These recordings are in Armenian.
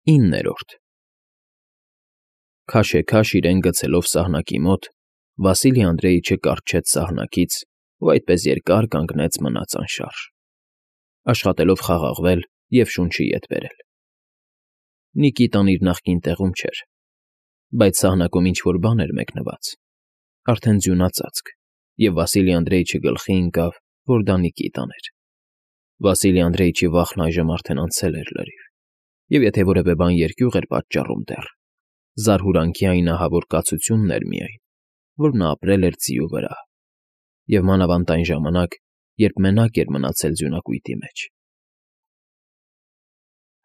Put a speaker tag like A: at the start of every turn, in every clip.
A: 9-րդ Քաշեքաշ իրեն գցելով սահնակի մոտ, Վասիլի Անդրեիչը կառչեց սահնակից ու այդպես երկար կանգնեց մնաց անշարժ, աշխատելով խաղաղվել և շունչը ետ բերել։ Նիկիտան իր նախկին տեղում չէր, բայց սահնակում ինչ֊որ բան էր մեկնված, արդեն ձյունածածկ, և Վասիլի Անդրեիչի գլխի ընկավ, որ դա Նիկիտան էր։ Վասիլի Անդրեիչի վախն այժմ արդեն անցել էր լրիվ, և եթե որևէ բան երկյուղ էր պատճառում դեռ, զարհուրանքի այն ահավոր կացությունն էր միայն, որ նա ապրել էր ձիու վրա, և մանավանդ այն ժամանակ, երբ մենակ էր մնացել ձյունակույտի մեջ։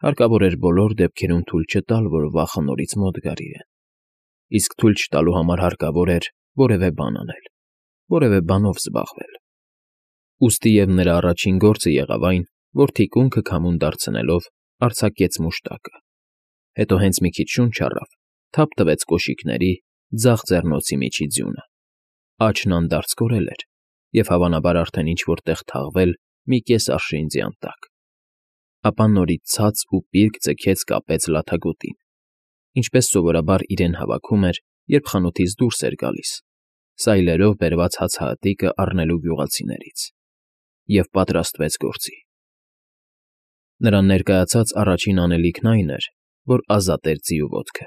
A: Հարկավոր էր բոլոր դեպքերում թույլ չտալ, որ վախը նորից մոտ գար իրեն, իսկ թույլ չտալու համար հարկավոր էր որևէ բան անել, որևէ բանով զբաղվել։ Ուստի և նրա առաջին գործը եղավ այն, որ թիկունքը քամուն դարձնելով արձակեց մուշտակը, հետո հենց մի քիչ շունչ առավ, թափ տվեց կոշիկների, ձախ ձեռնոցի միջի ձյունը, աջն անդարձ կորել էր և հավանաբար արդեն ինչ֊որ տեղ թաղվել մի կես արշին ձյան տակ, ապա նորից ցած ու պիրկ ձգեց կապեց լաթագոտին, ինչպես սովորաբար իրեն հավաքում էր, երբ խանութից դուրս էր գալիս, սայլերով բերված հացահատիկը առնելու գյուղացիներից, և պատրաստվեց գործի։ Նրան ներկայացած առաջին անելիքն այն էր, որ ազատեր ձիու ոտքը։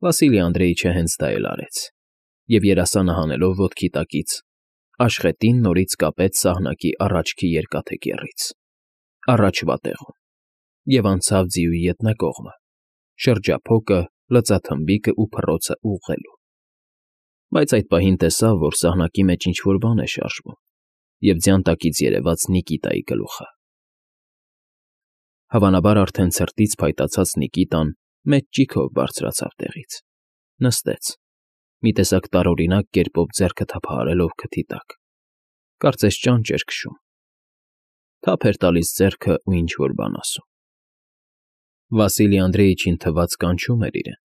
A: Վասիլի Անդրեիչը հենց դա էլ արեց, և երասանը հանելով ոտքի տակից, աշխատին նորից կապեց սահնակի առաջքի երկաթե կեռից, առաջվա տեղում, և անցավ ձիուի ետնակողմը, շրջափոկը, լծաթմբիկն ու փռոցն ուղղելու։ Բայց այդ պահին տեսավ, որ սահնակի մեջ ինչ֊որ բան է շարժվում, և ձյան տակից երևաց Նիկիտայի գլուխը։ Հավանաբար արդեն ցրտից փայտացած Նիկիտան մեծ ճիգով բարձրացավ տեղից, նստեց, մի տեսակ տարօրինակ կերպով ձեռքը թափահարելով քթի տակ, կարծես ճանճ էր քշում, թափ էր տալիս ձեռքը ու ինչ֊որ բան ասում։ Վասիլի Անդրեիչին թվաց կանչում էր իրեն։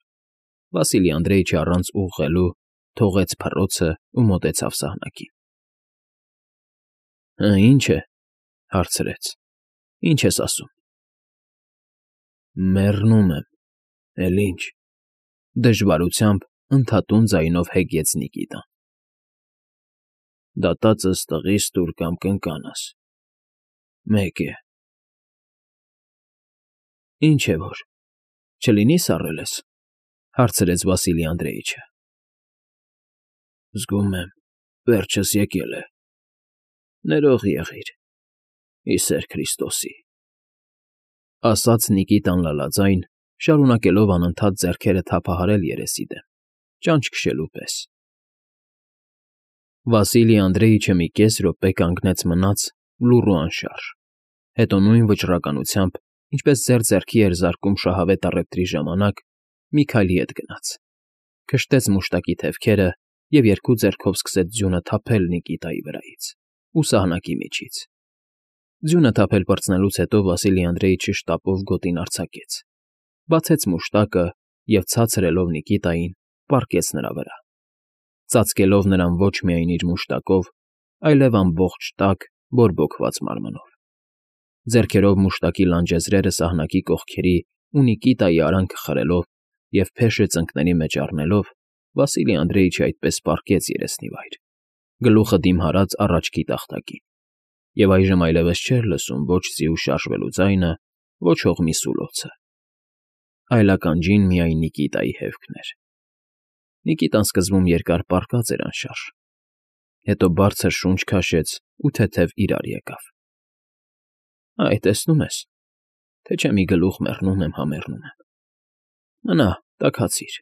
A: Վասիլի Անդրեիչը առանց ուղղելու թողեց փռոցն ու մոտեցավ սահնակին։ ֊ Ի՞նչ է,֊ հարցրեց,֊ ի՞նչ ես ասում։ ֊ Մեռնում եմ, էլ ինչ,֊ դժվարությամբ ընդհատուն ձայնով հեգեց Նիկիտան։ ֊ Դատածս տղիս տուր կամ կնկանս, մեկ է։ ֊ Ինչ է որ, չլինի՞ սառել ես,֊ հարցրեց Վասիլի Անդրեիչը։ ֊ Զգում եմ, վերջս եկել է, ներող եղիր, ի սեր Քրիստոսի,֊ ասաց Նիկիտան լալաձայն, շարունակելով անընդհատ ձեռքերը թափահարել երեսի դեմ, ճանճ քշելու պես։ Վասիլի Անդրեիչը մի կես րոպե կանգնեց մնաց լուռ ու անշարժ, հետո նույն վճռականությամբ, ինչպես ձեռքի էր զարկում շահավետ առևտրի ժամանակ, մի քայլ ետ գնաց, քշտեց մուշտակի թևքերը և երկու ձեռքով սկսեց ձյունը թափել Նիկիտայի վրայից ու սահնակի միջից։ Ձյունը թափել պրծնելուց հետո Վասիլի Անդրեիչը շտապով գոտին արձակեց, բացեց մուշտակը և ցածրելով Նիկիտային, պառկեց նրա վրա, ծածկելով նրան ոչ միայն իր մուշտակով, այլև ամբողջ տաք, բորբոքված մարմնով։ Ձեռքերով մուշտակի լանջեզրերը սահնակի կողքերի ու Նիկիտայի արանքը խրելով և փեշը ծնկների մեջ առնելով, Վասիլի Անդրեիչը այդպես պառկեց երեսնի վայր, գլուխը դիմհարած առաջքի տախտակին, և այժմ այլևս չէր լսում ոչ ձիու շարժվելու ձայնը, ոչ հողմի սուլոցը, այլ ականջին միայն Նիկիտայի հևքն էր։ Նիկիտան սկզբում երկար պառկած էր անշարժ, հետո բարձր շունչ քաշեց ու թեթև իրար եկավ։ ֊ Այ, տեսնում ես, թե չէ մի գլուխ մեռնում եմ հա մեռնում եմ։ Մնա, տաքացիր։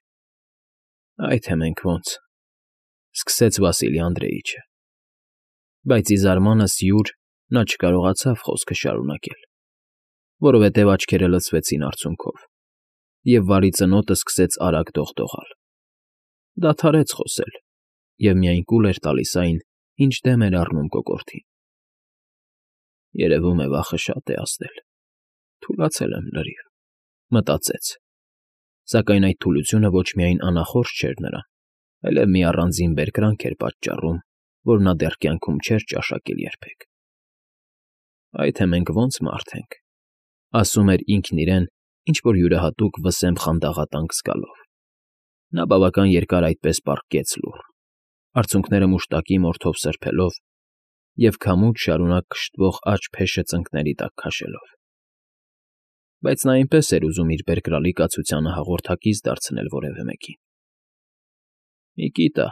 A: Այ թե մենք ոնց,֊ սկսեց Վասիլի Անդրեիչը, բայց ի զարմանս յուր նա չկարողացավ խոսքը շարունակել, որովհետև աչքերը լցվեցին արցունքով, և վարի ծնոտը սկսեց արագ դողդողալ։ Դադարեց խոսել և միայն կուլ էր տալիս այն, ինչ դեմ էր առնում կոկորդին։ Երևում է վախը շատ է ազդել, թուլացել եմ լրիվ, մտածեց, սակայն այդ թուլությունը ոչ միայն անախորժ չէր նրան, այլև մի առանձին բերկրանք էր պատճառում, որ նա դեռ կյանքում չէր ճաշակել երբեք։ Այ թե մենք ոնց մարդ ենք,֊ ասում էր ինքն իրեն ինչ-որ յուրահատուկ վսեմբ խանդաղատանք զգալով։ Նա բավական երկար այդպես պառկեց լուռ, արցունքները մուշտակի մորթով սրբելով և քամուց շարունակ քշտվող աջ փեշը ծնկների տակ քաշելով։ Բայց նա այնպես էր ուզում իր բերկրալի կացությանը հաղորդակից դարձնել որևէ մեկին։ ֊ Միկիտա,֊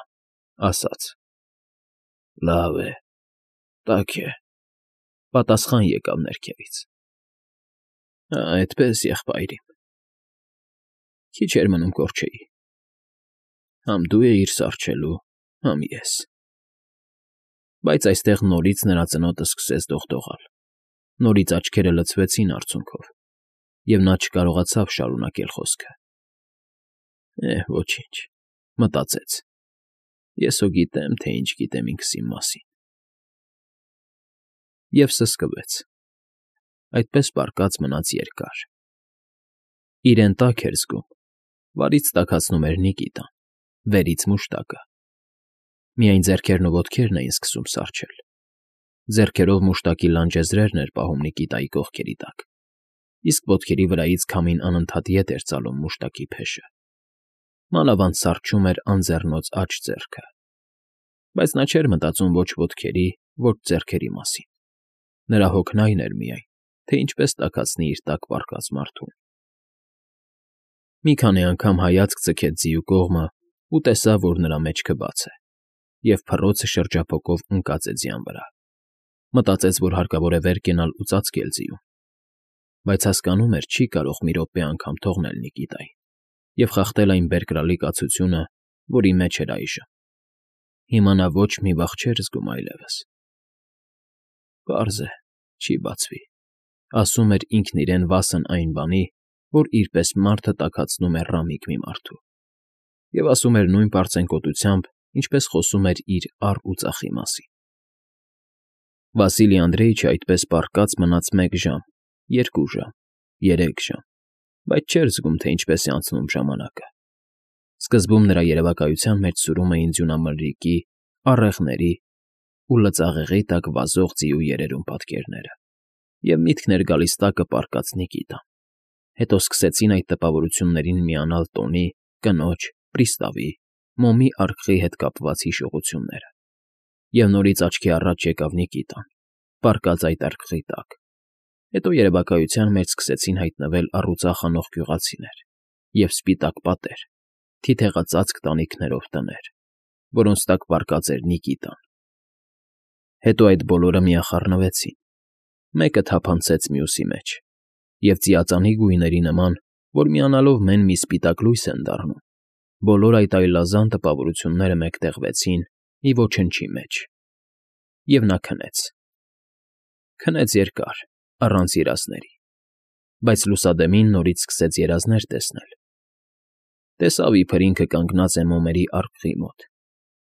A: ասաց։ ֊ Լավ է, տաք է,֊ պատասխան եկավ ներքևից։ ֊ Այդպես, եղբայրիմ… Քիչ էր մնում կորչեի… Համ դու էիր սառչելու, համ ես… Բայց այստեղ նորից նրա ծնոտը սկսեց դողդողալ, նորից աչքերը լցվեցին արցունքով, և նա չկարողացավ շարունակել խոսքը։ Ոչինչ,֊ մտածեց, ես հո գիտեմ, թե ինչ գիտեմ ինքս իմ մասին… Եվ սսկվեց… Այդպես պառկած մնաց երկար… Իրեն տաք էր զգում, վարից տաքացնում էր Նիկիտան, վերից մուշտակը… Միայն ձեռքերն ու ոտքերն էին սկսում սառչել… Ձեռքերով մուշտակի լանջեզրերն էր պահում Նիկիտայի կողքերի տակ, իսկ ոտքերի վրայից քամին անընդհատ ետ էր ծալում մուշտակի փեշը… Մանավանդ սառչում էր անձեռնոց աջ ձեռքը… Բայց նա չէր մտածում ոչ ոտքերի, ոչ ձեռքերի մասին… Նրա հոգն այն էր միայն, թե ինչպես տաքացնի իր տակ պառկած մարդուն… Մի քանի անգամ հայացք ձգեց ձիու կողմը ու տեսավ, որ նրա մեջքը բաց է, և փռոցը շրջափոկով ընկած է ձյան վրա… Մտածեց, որ հարկավոր է վեր կենալ ու ծածկել ձիուն… Բայց հասկանում էր, չի կարող մի րոպե անգամ թողնել Նիկիտային և խախտել այն բերկրալի կացությունը, որի մեջ էր այժմ… Հիմա նա ոչ մի վախ չէր զգում այլևս… Պարզ է, չի բացվի,֊ ասում էր ինքն իրեն վասն այն բանի, որ իր պես մարդը տաքացնում է ռամիկ մի մարդու… Եվ ասում էր նույն պարծենկոտությամբ, ինչպես խոսում էր իր առ ու ծախի մասին… Վասիլի Անդրեիչը այդպես պառկած մնաց 1 ժամ, 2 ժամ, 3 ժամ, բայց չէր զգում, թե ինչպես է անցնում ժամանակը… Սկզբում նրա երևակայության մեջ սուրում էին ձյունամրրիկի, առեղների ու լծաղեղի տակ վազող ձիու երերուն պատկերները, և միտքն էր գալիս տակը պառկած Նիկիտան… Հետո սկսեցին այդ տպավորություններին միանալ տոնի, կնոջ, պրիստավի, մոմի արկղի հետ կապված հիշողությունները… Եվ նորից աչքի առաջ եկավ Նիկիտան, պառկած այդ արկղի տակ… Հետո երևակայության մեջ սկսեցին հայտնվել առուծախ անող գյուղացիներ և սպիտակ պատեր, թիթեղածածկ տանիքներով տներ, որոնց տակ պառկած էր Նիկիտան… Հետո այդ բոլորը միախառնվեցին, մեկը թափանցեց մյուսի մեջ, և ծիածանի գույների նման, որ միանալով մեն մի սպիտակ լույս են դառնում, բոլոր այդ այլազան տպավորությունները մեկտեղվեցին մի ոչնչի մեջ… Եվ նա քնեց… Քնեց երկար, առանց երազների… Բայց լուսադեմին նորից սկսեց երազներ տեսնել… Տեսավ, իբր ինքը կանգնած է մոմերի արկղի մոտ,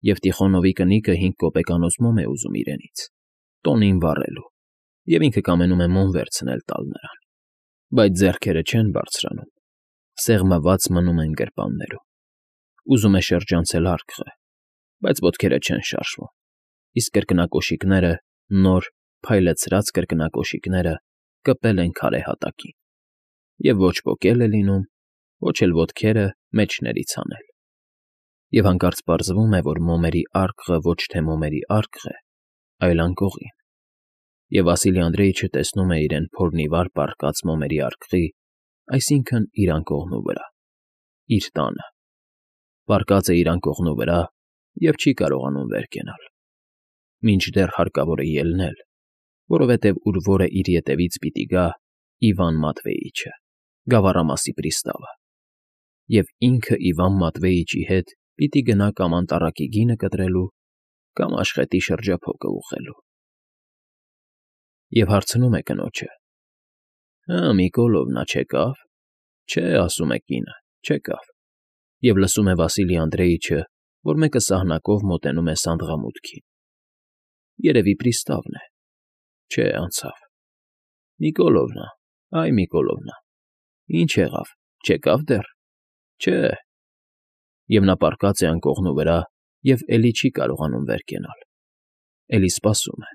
A: և Տիխոնովի կնիկը 5 կոպեկանոց մոմ է ուզում իրենից, տոնին վառելու, և ինքը կամենում է մոմ վերցնել տալ նրան… Բայց ձեռքերը չեն բարձրանում, սեղմված մնում են գրպաններում… Ուզում է շրջանցել արկղը, բայց ոտքերը չեն շարժվում, իսկ կրկնակոշիկները, նոր, փայլեցրած կրկնակոշիկները կպել են քարե հատակին… Եվ ոչ պոկել է լինում, ոչ էլ ոտքերը մեջներից հանել… Եվ հանկարծ պարզվում է, որ մոմերի արկղը ոչ թե մոմերի արկղ է, այլ անկողին… Եվ Վասիլի Անդրեիչը տեսնում է իրեն փորնիվար պառկած մոմերի արկղի, այսինքն՝ իր անկողնու վրա, իր տանը… Պառկած է իր անկողնու վրա և չի կարողանում վեր կենալ… Մինչդեռ հարկավոր է ելնել, որովհետև ուր որը իր ետևից պիտի գա Իվան Մատվեիչը, գավառամասի պրիստավը… Եվ ինքը Իվան Մատվեիչի հետ պիտի գնա կամ անտառակի գինը կտրելու, կամ աշխետի շրջափոկը ուղղելու… Եվ հարցնում է կնոջը. Միկոլովնա չեկա՞վ… Չէ, ասում է կինը, չեկավ… Եվ լսում է Վասիլի Անդրեիչը, որ մեկը սահնակով մոտենում է սանդղամուտքին… Երևի պրիստավն է… Չէ, անցավ… Միկոլովնա, այ Միկոլովնա… Ինչ եղավ, չեկա՞վ դեռ… Չէ… Եվ նա պառկած է անկողնու վրա և էլի չի կարողանում վեր կենալ… Էլի սպասում է…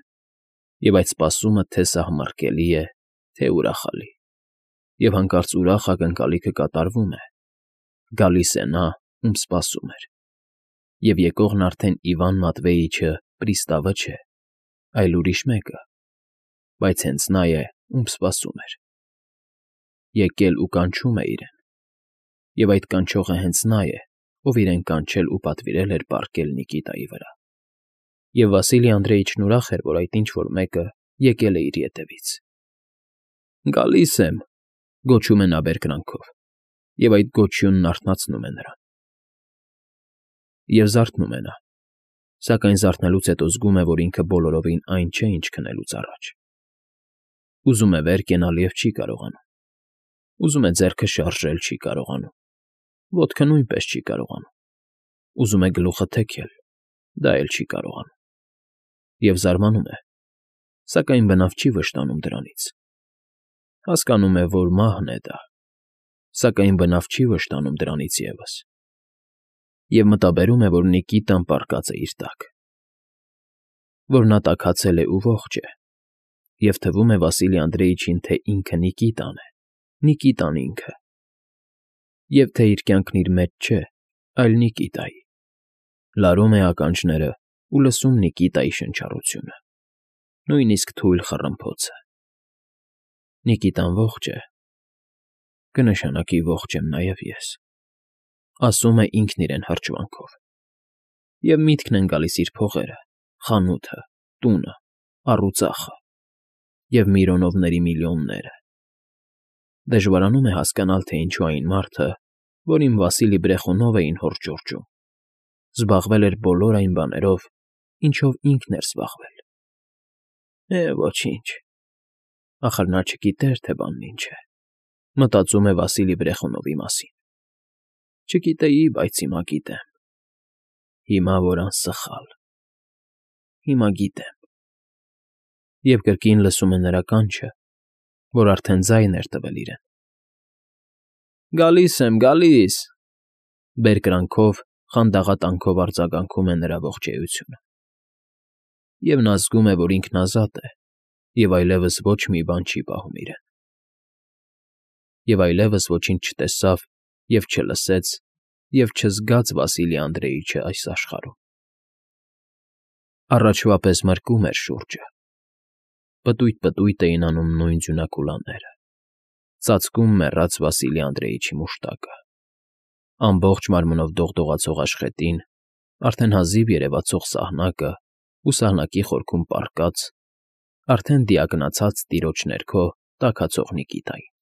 A: Եվ այդ սպասումը թե՛ սահմռկելի է, թե՛ ուրախալի… Եվ հանկարծ ուրախ ակնկալիքը կատարվում է. գալիս է նա, ում սպասում էր, և եկողն արդեն Իվան Մատվեիչը պրիստավը չէ, այլ ուրիշ մեկը, բայց հենց նա է, ում սպասում էր. եկել ու կանչում է իրեն, և այդ կանչողը հենց նա է, ով իրեն կանչել ու պատվիրել էր պառկել Նիկիտայի վրա, և Վասիլի Անդրեիչն ուրախ էր, որ այդ ինչ֊որ մեկը եկել է իր ետևից։ «Գալիս եմ», գոչում է նա բերկրանքով, և այդ գոչյունն արթնացնում է նրան։ Եվ զարթնում է նա, սակայն զարթնելուց հետո զգում է, որ ինքը բոլորովին այն չէ, ինչ քնելուց առաջ։ Ուզում է վեր կենալ և չի կարողանում, ուզում է ձեռքը շարժել, չի կարողանում, ոտքը նույնպես չի կարողանում, ուզում է գլուխը թեքել, դա էլ չի կարողանում, և զարմանում է, սակայն բնավ չի վշտանում դրանից։ Հասկանում է, որ մահն է դա, սակայն բնավ չի վշտանում դրանից ևս, և մտաբերում է, որ Նիկիտան պառկած է իր տակ, որ նա տաքացել է ու ողջ է, և թվում է Վասիլի Անդրեիչին, թե ինքը Նիկիտան է, Նիկիտան ինքը, և թե իր կյանքն իր մեջ չէ, այլ Նիկիտայի։ Լարում է ականջները ու լսում Նիկիտայի շնչառությունը, նույնիսկ թույլ խռմփոցը։ Նիկիտան ողջ է, կնշանակի ողջ եմ նաև ես, ասում է ինքն իրեն հրճվանքով, և միտքն են գալիս իր փողերը, խանութը, տունը, առուծախը և Միրոնովների միլիոնները։ Դժվարանում է հասկանալ, թե ինչու այն մարդը, որին Վասիլի Բրեխունով էին հորդժորջում, զբաղվել էր բոլոր այն բաներով, ինչով ինքն էր զբաղվել։ Ոչինչ, ախր նա չգիտեր, թե բանն ինչ է, մտածում է Վասիլի Բրեխունովի մասին։ Չգիտեի, բայց հիմա գիտեմ։ Հիմա որ անսխալ, հիմա գիտեմ։ Եվ կրկին լսում է նրա կանչը, որ արդեն ձայն էր տվել իրեն։ «Գալիս եմ, գալիս», բերկրանքով, խանդաղատանքով արձագանքում է նրա ողջ էությունը։ Եվ նա զգում է, որ ինքն ազատ է, և այլևս ոչ մի բան չի պահում իրեն։ Եվ այլևս ոչինչ չտեսավ և չլսեց և չզգաց Վասիլի Անդրեիչը այս աշխարհում։ Առաջվա պես մրկում էր շուրջը։ Պտույտ֊պտույտ էին անում նույն ձյունակուլաները, ծածկում մեռած Վասիլի Անդրեիչի մուշտակը, ամբողջ մարմնով դողդողացող աշխատին, արդեն հազիվ երևացող սահնակը ու սահնակի խորքում պառկած, արդեն դիակնացած տիրոջ ներքո տաքացող Նիկիտային։